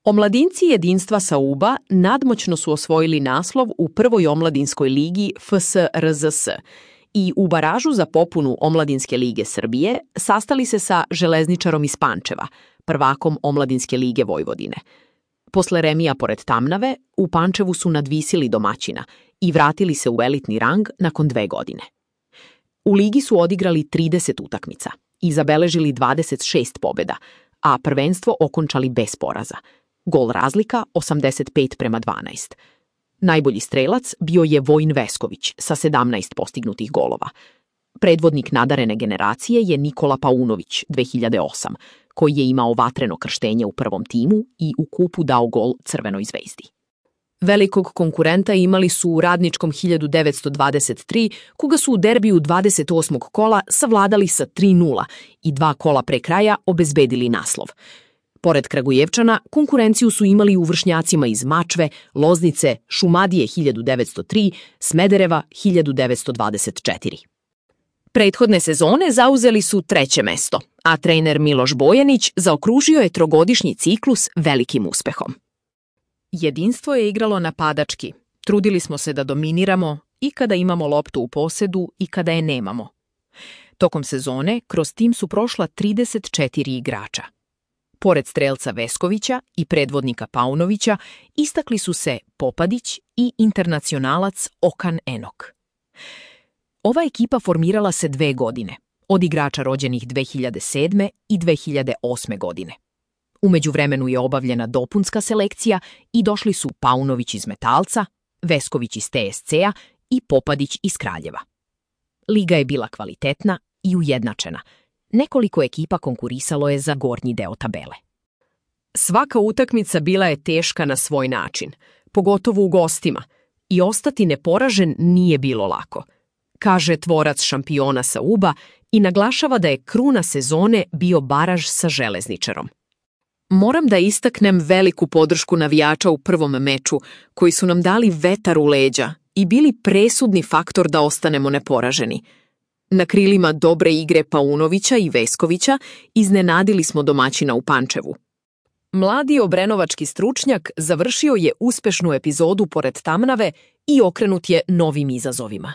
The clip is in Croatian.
Omladinci jedinstva Sauba nadmoćno su osvojili naslov u prvoj omladinskoj ligi FSRZS i u baražu za popunu Omladinske lige Srbije sastali se sa Železničarom iz Pančeva, prvakom Omladinske lige Vojvodine. Posle remija pored Tamnave, u Pančevu su nadvisili domaćina i vratili se u elitni rang nakon 2 godine. U ligi su odigrali 30 utakmica i zabeležili 26 pobjeda, a prvenstvo okončali bez poraza. Gol razlika 85:12. Najbolji strelac bio je Vojin Vesković sa 17 postignutih golova. Predvodnik nadarene generacije je Nikola Paunović 2008, koji je imao vatreno krštenje u prvom timu i u kupu dao gol Crvenoj zvezdi. Velikog konkurenta imali su u Radničkom 1923, koga su u derbiju 28. kola savladali sa 3:0 i 2 kola pre kraja obezbedili naslov. Pored Kragujevčana, konkurenciju su imali u vršnjacima iz Mačve, Loznice, Šumadije 1903, Smedereva 1924. Prethodne sezone zauzeli su 3. mesto, a trener Miloš Bojanić zaokružio je 3-godišnji ciklus velikim uspehom. Jedinstvo je igralo napadački. Trudili smo se da dominiramo i kada imamo loptu u posedu i kada je nemamo. Tokom sezone kroz tim su prošla 34 igrača. Pored strelca Veskovića i predvodnika Paunovića istakli su se Popadić i internacionalac Okan Enok. Ova ekipa formirala se 2 godine, od igrača rođenih 2007. i 2008. godine. U međuvremenu je obavljena dopunska selekcija i došli su Paunović iz Metalca, Vesković iz TSC-a i Popadić iz Kraljeva. Liga je bila kvalitetna i ujednačena. Nekoliko ekipa konkurisalo je za gornji deo tabele. Svaka utakmica bila je teška na svoj način, pogotovo u gostima, i ostati neporažen nije bilo lako, kaže tvorac šampiona Sauba i naglašava da je kruna sezone bio baraž sa Železničarom. Moram da istaknem veliku podršku navijača u prvom meču, koji su nam dali vetar u leđa i bili presudni faktor da ostanemo neporaženi. Na krilima dobre igre Paunovića i Veskovića iznenadili smo domaćina u Pančevu. Mladi obrenovački stručnjak završio je uspešnu epizodu pored Tamnave i okrenut je novim izazovima.